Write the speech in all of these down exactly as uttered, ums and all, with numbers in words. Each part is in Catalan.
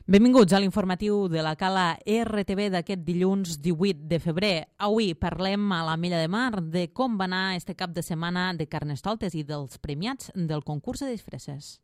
Benvinguts a l'informatiu de la Cala R T V d'aquest dilluns divuit de febrer. Avui parlem a l'Ametlla de Mar de com va anar este cap de setmana de Carnestoltes i dels premiats del concurs de disfresses.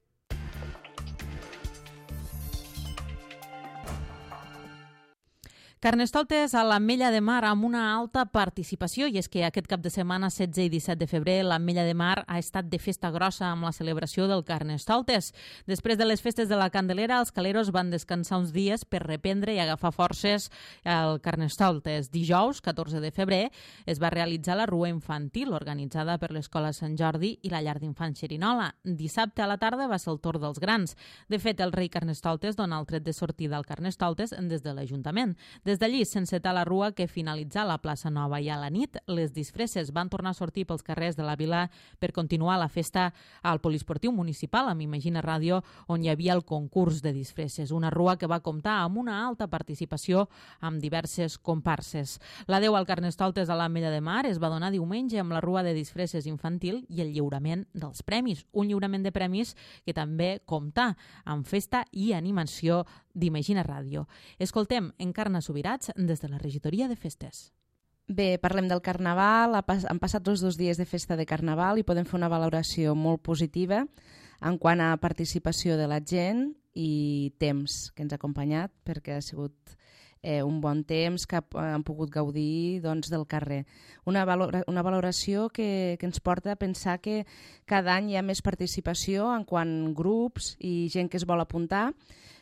Carnestoltes a l'Ametlla de Mar amb una alta participació, i és que aquest cap de setmana setze i disset de febrer l'Ametlla de Mar ha estat de festa grossa amb la celebració del Carnestoltes. Després de les festes de la Candelera, els caleros van descansar uns dies per reprendre i agafar forces al Carnestoltes. Dijous, catorze de febrer, es va realitzar la rua infantil organitzada per l'Escola Sant Jordi i la Llar d'Infants Xerinola. Dissabte a la tarda va ser el torn dels grans. De fet, el rei Carnestoltes dona el tret de sortida al Carnestoltes des de l'Ajuntament. Des d'allí s'encetar la rua que finalitza a la plaça Nova i a la nit les disfresses van tornar a sortir pels carrers de la vila per continuar la festa al poliesportiu municipal amb Imagina Ràdio, on hi havia el concurs de disfresses, una rua que va comptar amb una alta participació amb diverses comparses. L'adeu al Carnestoltes a l'Ametlla de Mar es va donar diumenge amb la rua de disfresses infantil i el lliurament dels premis, un lliurament de premis que també compta amb festa i animació d'Imagina Ràdio. Escoltem Encarna Subirats des de la regidoria de festes. Bé, parlem del Carnaval. Han passat els dos dies de festa de Carnaval i podem fer una valoració molt positiva en quant a participació de la gent i temps que ens ha acompanyat, perquè ha sigut eh, un bon temps que han pogut gaudir doncs, del carrer. Una, valora, una valoració que, que ens porta a pensar que cada any hi ha més participació en quant a grups i gent que es vol apuntar.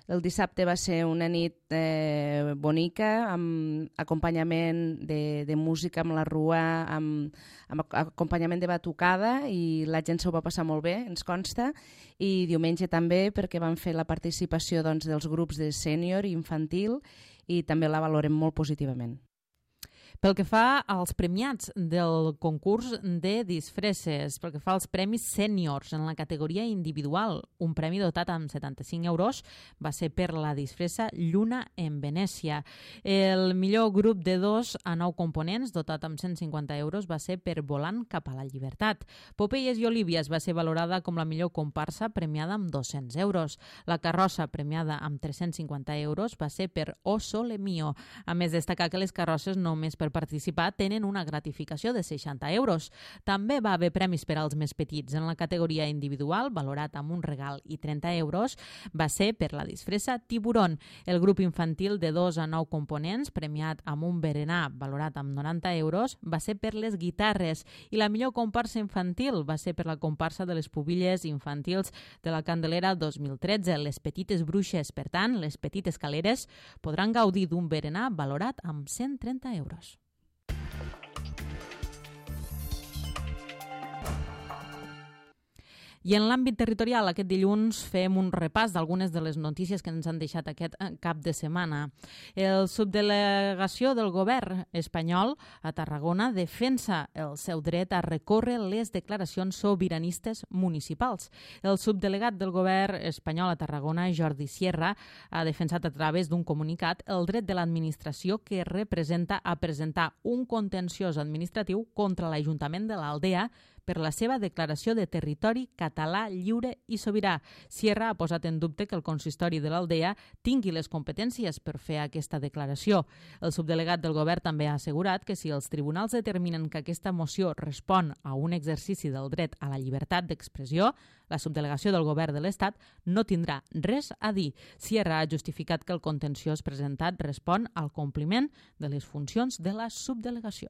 El dissabte va ser una nit eh, bonica, amb acompanyament de, de música amb la rua, amb, amb acompanyament de batucada, i la gent s'ho va passar molt bé, ens consta. I diumenge també, perquè van fer la participació doncs, dels grups de sènior i infantil, i també la valorem molt positivament. Pel que fa als premiats del concurs de disfresses, pel que fa als premis sèniors en la categoria individual, un premi dotat amb setanta-cinc euros va ser per la disfressa Lluna en Venècia. El millor grup de dos a nou components, dotat amb cent cinquanta euros, va ser per Volant cap a la llibertat. Popeyes i Olívies va ser valorada com la millor comparsa, premiada amb dos-cents euros. La carrossa, premiada amb tres-cents cinquanta euros, va ser per O Sole Mio. A més, destacar que les carrosses només per participar tenen una gratificació de seixanta euros. També va haver premis per als més petits. En la categoria individual, valorat amb un regal i trenta euros, va ser per la disfressa Tiburón. El grup infantil de dos a nou components, premiat amb un berenar valorat amb noranta euros, va ser per les guitarres. I la millor comparsa infantil va ser per la comparsa de les pubilles infantils de la Candelera dos mil tretze, les petites bruixes. Per tant, les petites caleres podran gaudir d'un berenar valorat amb cent trenta euros. I en l'àmbit territorial, aquest dilluns fem un repàs d'algunes de les notícies que ens han deixat aquest cap de setmana. El subdelegació del govern espanyol a Tarragona defensa el seu dret a recórrer les declaracions sobiranistes municipals. El subdelegat del govern espanyol a Tarragona, Jordi Sierra, ha defensat a través d'un comunicat el dret de l'administració que representa a presentar un contenciós administratiu contra l'Ajuntament de l'Aldea per la seva declaració de territori català lliure i sobirà. Sierra ha posat en dubte que el consistori de l'Aldea tingui les competències per fer aquesta declaració. El subdelegat del govern també ha assegurat que si els tribunals determinen que aquesta moció respon a un exercici del dret a la llibertat d'expressió, la subdelegació del govern de l'Estat no tindrà res a dir. Sierra ha justificat que el contenciós presentat respon al compliment de les funcions de la subdelegació.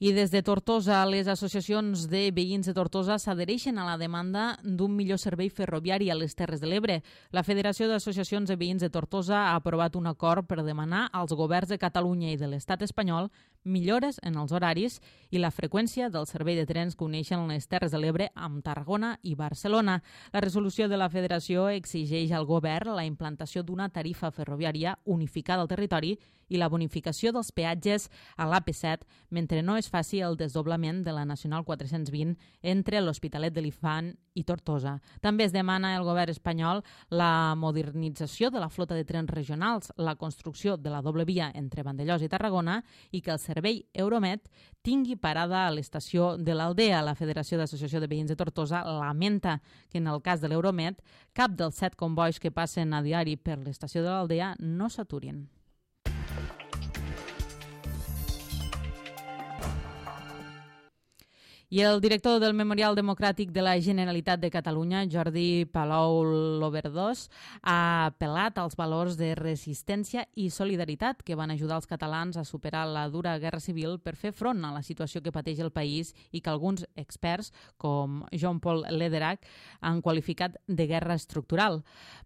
I des de Tortosa, les associacions de veïns de Tortosa s'adhereixen a la demanda d'un millor servei ferroviari a les Terres de l'Ebre. La Federació d'Associacions de Veïns de Tortosa ha aprovat un acord per demanar als governs de Catalunya i de l'Estat espanyol millores en els horaris i la freqüència del servei de trens que uneixen les Terres de l'Ebre amb Tarragona i Barcelona. La resolució de la Federació exigeix al govern la implantació d'una tarifa ferroviària unificada al territori i la bonificació dels peatges a l'A P set mentre no es faci el desdoblament de la Nacional quatre-cents vint entre l'Hospitalet de l'Infant i Tortosa. També es demana al govern espanyol la modernització de la flota de trens regionals, la construcció de la doble via entre Vandellòs i Tarragona i que els servei Euromed tingui parada a l'estació de l'Aldea. La Federació d'Associació de Veïns de Tortosa lamenta que en el cas de l'Euromed cap dels set convois que passen a diari per l'estació de l'Aldea no s'aturin. I el director del Memorial Democràtic de la Generalitat de Catalunya, Jordi Palou Loberdós, ha apel·lat als valors de resistència i solidaritat que van ajudar els catalans a superar la dura guerra civil per fer front a la situació que pateix el país i que alguns experts, com Jean-Paul Lederach, han qualificat de guerra estructural.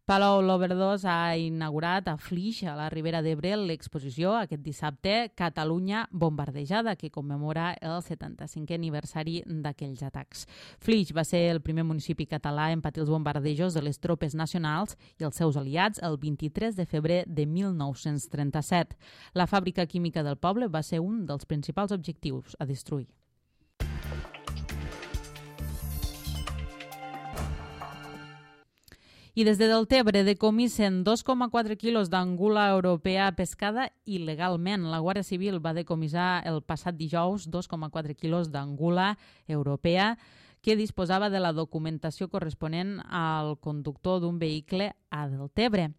Palou Loberdós ha inaugurat a Flix, a la Ribera d'Ebre, l'exposició aquest dissabte Catalunya bombardejada, que commemora el setanta-cinquè aniversari d'aquells atacs. Flix va ser el primer municipi català en patir els bombardejos de les tropes nacionals i els seus aliats el vint-i-tres de febrer de mil nou-cents trenta-set. La fàbrica química del poble va ser un dels principals objectius a destruir. I des de Deltebre decomissen dos coma quatre quilos d'angula europea pescada il·legalment. La Guàrdia Civil va decomissar el passat dijous dos coma quatre quilos d'angula europea que disposava de la documentació corresponent al conductor d'un vehicle a Deltebre.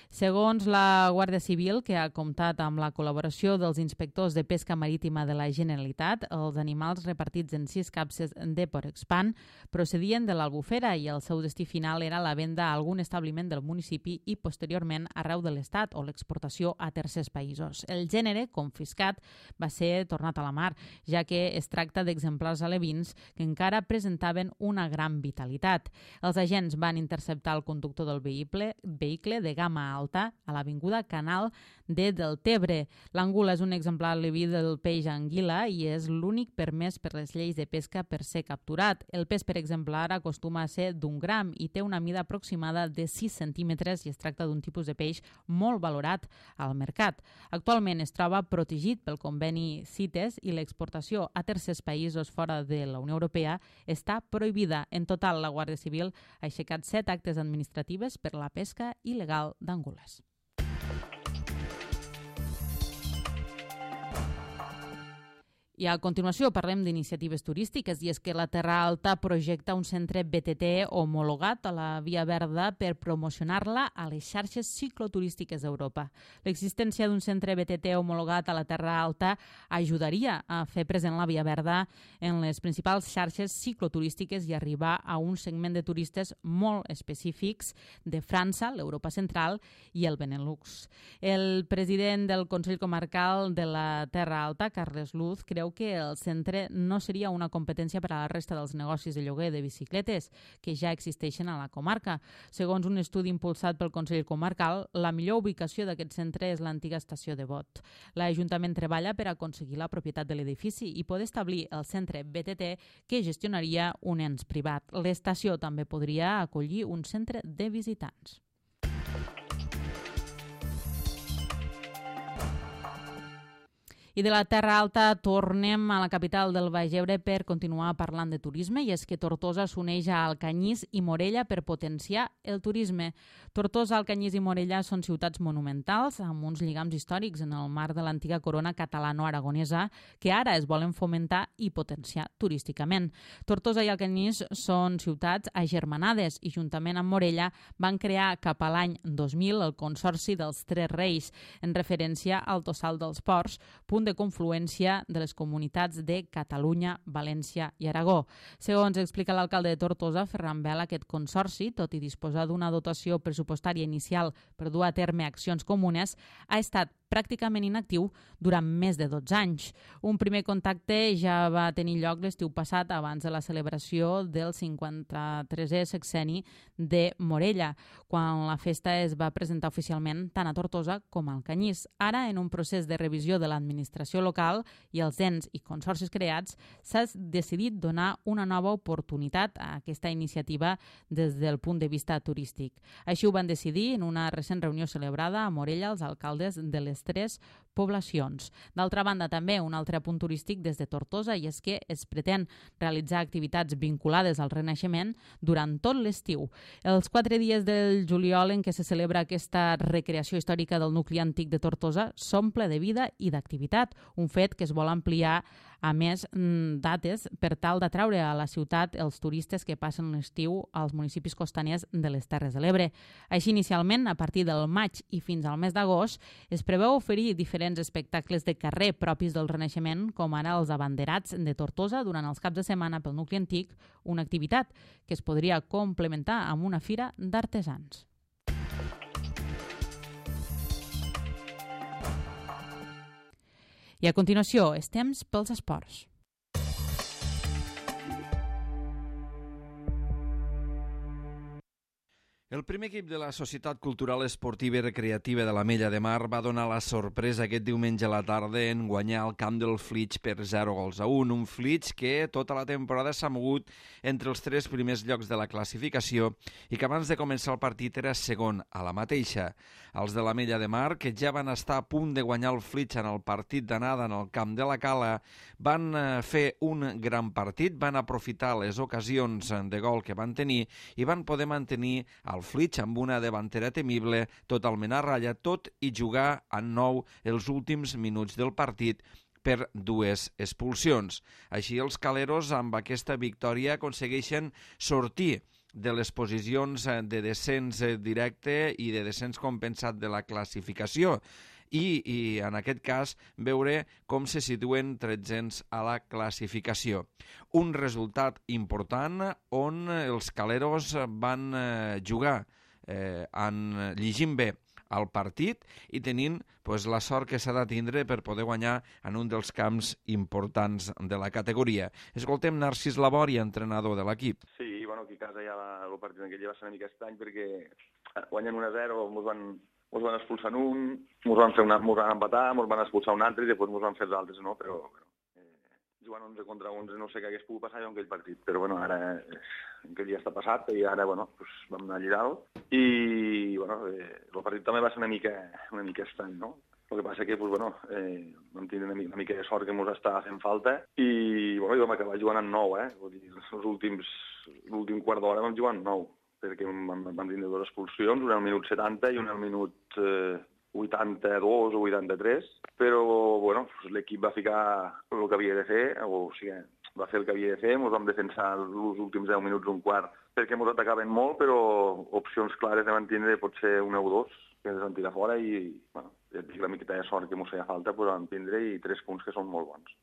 Segons la Guàrdia Civil, que ha comptat amb la col·laboració dels inspectors de pesca marítima de la Generalitat, els animals repartits en sis capses de Porexpan procedien de l'Albufera i el seu destí final era la venda a algun establiment del municipi i posteriorment arreu de l'Estat o l'exportació a tercers països. El gènere confiscat va ser tornat a la mar, ja que es tracta d'exemplars alevins que encara presentaven una gran vitalitat. Els agents van interceptar el conductor del vehicle, vehicle de gamma alta a l'avinguda Canal de Deltebre. L'angula és un exemplar aleví del peix anguila i és l'únic permès per les lleis de pesca per ser capturat. El pes per exemplar acostuma a ser d'un gram i té una mida aproximada de sis centímetres i es tracta d'un tipus de peix molt valorat al mercat. Actualment es troba protegit pel conveni CITES i l'exportació a tercers països fora de la Unió Europea està prohibida. En total, la Guàrdia Civil ha aixecat set actes administratives per la pesca il·legal d'angules. I a continuació parlem d'iniciatives turístiques i és que la Terra Alta projecta un centre B T T homologat a la Via Verda per promocionar-la a les xarxes cicloturístiques d'Europa. L'existència d'un centre B T T homologat a la Terra Alta ajudaria a fer present la Via Verda en les principals xarxes cicloturístiques i arribar a un segment de turistes molt específics de França, l'Europa central i el Benelux. El president del Consell Comarcal de la Terra Alta, Carles Luz, creu que el centre no seria una competència per a la resta dels negocis de lloguer de bicicletes que ja existeixen a la comarca. Segons un estudi impulsat pel Consell Comarcal, la millor ubicació d'aquest centre és l'antiga estació de Bot. L'Ajuntament treballa per aconseguir la propietat de l'edifici i poder establir el centre B T T que gestionaria un ens privat. L'estació també podria acollir un centre de visitants. I de la Terra Alta tornem a la capital del Baix Ebre per continuar parlant de turisme i és que Tortosa s'uneix a Alcanyís i Morella per potenciar el turisme. Tortosa, Alcanyís i Morella són ciutats monumentals amb uns lligams històrics en el marc de l'antiga corona catalano-aragonesa que ara es volen fomentar i potenciar turísticament. Tortosa i Alcanyís són ciutats agermanades i juntament amb Morella van crear cap a l'any dos mil el Consorci dels Tres Reis en referència al Tossal dels Ports, punt de confluència de les comunitats de Catalunya, València i Aragó. Segons explica l'alcalde de Tortosa, Ferran Vela, aquest consorci, tot i disposar d'una dotació pressupostària inicial per dur a terme accions comunes, ha estat pràcticament inactiu durant més de dotze anys. Un primer contacte ja va tenir lloc l'estiu passat abans de la celebració del cinquanta-tresè sexenni de Morella, quan la festa es va presentar oficialment tant a Tortosa com a Alcanyís. Ara, en un procés de revisió de l'administració local i els ens i consorcis creats, s'ha decidit donar una nova oportunitat a aquesta iniciativa des del punt de vista turístic. Així ho van decidir en una recent reunió celebrada a Morella els alcaldes de les tres poblacions. D'altra banda, també un altre punt turístic des de Tortosa, i és que es pretén realitzar activitats vinculades al Renaixement durant tot l'estiu. Els quatre dies del juliol en què se celebra aquesta recreació històrica del nucli antic de Tortosa s'omple de vida i d'activitat, un fet que es vol ampliar a més dates per tal d'atraure a la ciutat els turistes que passen l'estiu als municipis costaners de les Terres de l'Ebre. Així, inicialment, a partir del maig i fins al mes d'agost, es preveu oferir diferents espectacles de carrer propis del Renaixement, com ara els abanderats de Tortosa durant els caps de setmana pel nucli antic, una activitat que es podria complementar amb una fira d'artesans. I a continuació, és temps pels esports. El primer equip de la Societat Cultural Esportiva i Recreativa de l'Ametlla de Mar va donar la sorpresa aquest diumenge a la tarda en guanyar el camp del Flix per zero gols a un. Un Flix que tota la temporada s'ha mogut entre els tres primers llocs de la classificació i que abans de començar el partit era segon a la mateixa. Els de l'Ametlla de Mar, que ja van estar a punt de guanyar el Flix en el partit d'anada en el camp de la Cala, van fer un gran partit, van aprofitar les ocasions de gol que van tenir i van poder mantenir el Flix amb una davantera temible, totalment a ratlla, tot i jugar en nou els últims minuts del partit per dues expulsions. Així, els caleros amb aquesta victòria aconsegueixen sortir de les posicions de descens directe i de descens compensat de la classificació i, i en aquest cas, veure com se situen tretzens a la classificació. Un resultat important on els caleros van eh, jugar eh, en llegint bé el partit i tenint pues, la sort que s'ha de tindre per poder guanyar en un dels camps importants de la categoria. Escoltem Narcís Labori, entrenador de l'equip. Sí, bueno, aquí a casa ja va, el partit en aquell ja va ser una mica estrany perquè guanyen un a zero, ens van, ens van expulsar en un, ens van, fer una, ens van empatar, ens van expulsar un altre i després ens van fer els altres, no? Però bueno, eh, jugant onze contra onze no sé què hagués pogut passar jo en aquell partit, però bueno, ara aquell ja està passat i ara bueno, pues, vam anar allà dalt i bueno, eh, el partit també va ser una mica, una mica estrany, no? El que passa que pues, bueno, eh, vam tenir una mica, una mica de sort que ens estava fent falta i bueno, vam acabar jugant en nou, eh? Vull dir, els últims, l'últim quart d'hora vam jugar en nou, perquè vam, vam tenir dues expulsions, una al minut setanta i una al minut eh, vuitanta-dos o vuitanta-tres, però bueno, l'equip va ficar el que havia de fer, o sigui, va fer el que havia de fer, ens vam defensar els últims deu minuts, un quart, perquè ens atacaven molt, però opcions clares de mantenir potser un o dos, que ens van tirar fora i, bueno, la miqueta de sort que ens feia falta, però vam tindre i tres punts que són molt bons.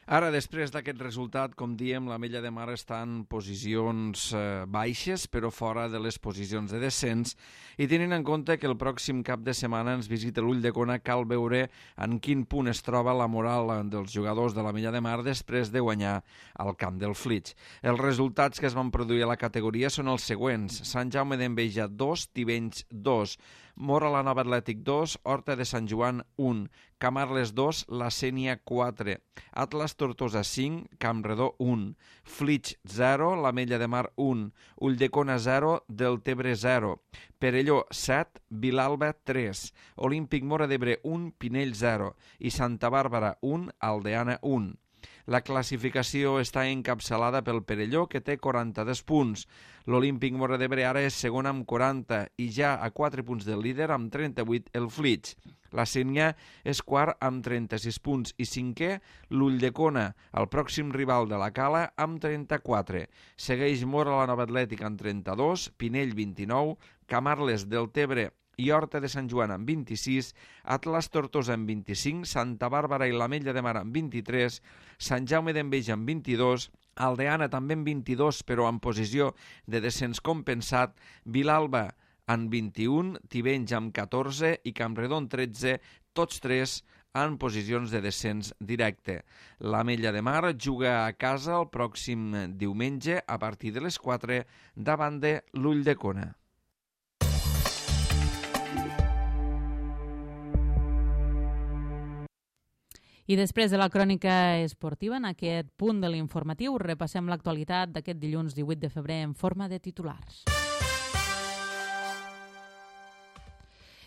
Ara, després d'aquest resultat, com diem, l'Ametlla de Mar està en posicions eh, baixes, però fora de les posicions de descens, i tenint en compte que el pròxim cap de setmana ens visita l'Ulldecona, cal veure en quin punt es troba la moral dels jugadors de l'Ametlla de Mar després de guanyar al camp del Flix. Els resultats que es van produir a la categoria són els següents: Sant Jaume d'Enveja dos, Tivenys dos, Móra la Nova Atlètic dos, Horta de Sant Joan un, Camarles dos, La Sénia quatre, Atlas Tortosa cinc, Campredó un, Flix zero, l'Ametlla de Mar un, Ulldecona zero, Deltebre zero, Perelló set, Vilalba tres, Olímpic Móra d'Ebre un, Pinell zero i Santa Bàrbara un, Aldeana un. La classificació està encapçalada pel Perelló, que té quaranta-dos punts. L'Olímpic Móra d'Ebre ara és segon amb quaranta i ja a quatre punts del líder amb trenta-vuit el Flix. La Sénia és quart amb trenta-sis punts i cinquè l'Ulldecona, el pròxim rival de la Cala, amb trenta-quatre. Segueix Móra la Nova Atlètic amb trenta-dos, Pinell vint-i-nou, Camarles, Deltebre i Horta de Sant Joan amb vint-i-sis, Atlas Tortosa amb vint-i-cinc, Santa Bàrbara i l'Ametlla de Mar amb vint-i-tres, Sant Jaume d'Enveja amb vint-i-dos, Aldeana també amb vint-i-dos però en posició de descens compensat, Vilalba amb vint-i-un, Tivenys amb catorze i Campredó amb tretze, tots tres en posicions de descens directe. L'Ametlla de Mar juga a casa el pròxim diumenge a partir de les quatre davant de l'Ulldecona. I després de la crònica esportiva, en aquest punt de l'informatiu, repassem l'actualitat d'aquest dilluns divuit de febrer en forma de titulars.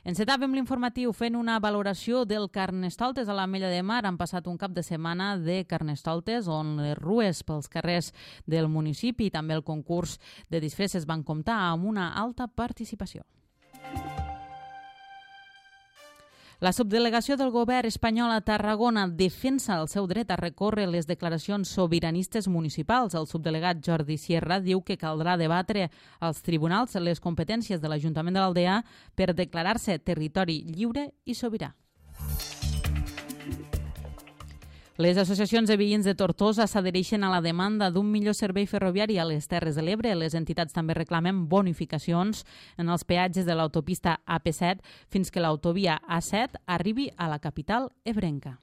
Encetàvem l'informatiu fent una valoració del Carnestoltes a l'Ametlla de Mar. Han passat un cap de setmana de Carnestoltes on les rues pels carrers del municipi i també el concurs de disfresses van comptar amb una alta participació. La subdelegació del govern espanyol a Tarragona defensa el seu dret a recórrer les declaracions sobiranistes municipals. El subdelegat Jordi Sierra diu que caldrà debatre als tribunals les competències de l'Ajuntament de l'Aldea per declarar-se territori lliure i sobirà. Les associacions de veïns de Tortosa s'adhereixen a la demanda d'un millor servei ferroviari a les Terres de l'Ebre. Les entitats també reclamen bonificacions en els peatges de l'autopista A P set fins que l'autovia A set arribi a la capital ebrenca.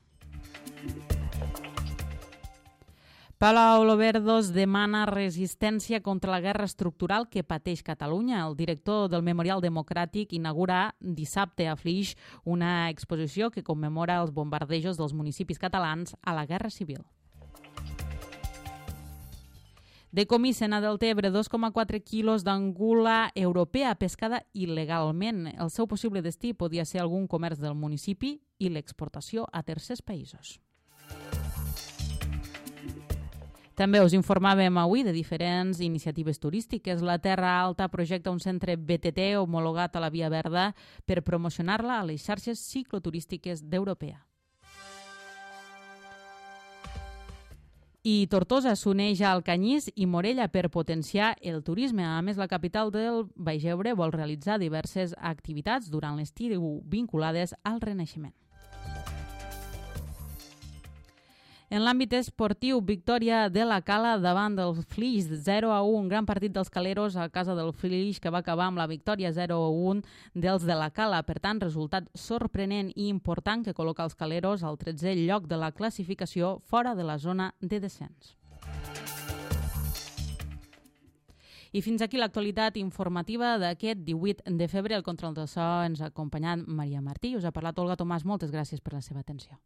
Palau-Loverdos demana resistència contra la guerra estructural que pateix Catalunya. El director del Memorial Democràtic inaugura dissabte a Flix una exposició que commemora els bombardejos dels municipis catalans a la Guerra Civil. Decomissen a Deltebre dos coma quatre quilos d'angula europea pescada il·legalment. El seu possible destí podia ser algun comerç del municipi i l'exportació a tercers països. També us informàvem avui de diferents iniciatives turístiques. La Terra Alta projecta un centre B T T homologat a la Via Verda per promocionar-la a les xarxes cicloturístiques d'Europea. I Tortosa s'uneix al Canyís i Morella per potenciar el turisme. A més, la capital del Baix Ebre vol realitzar diverses activitats durant l'estiu vinculades al Renaixement. En l'àmbit esportiu, victòria de la Cala davant del Flix, zero a un, gran partit dels caleros a casa del Flix que va acabar amb la victòria zero a un dels de la Cala. Per tant, resultat sorprenent i important que col·loca els caleros al tretzè lloc de la classificació fora de la zona de descens. I fins aquí l'actualitat informativa d'aquest divuit de febrer. El control de so ens ha acompanyat Maria Martí. Us ha parlat Olga Tomàs. Moltes gràcies per la seva atenció.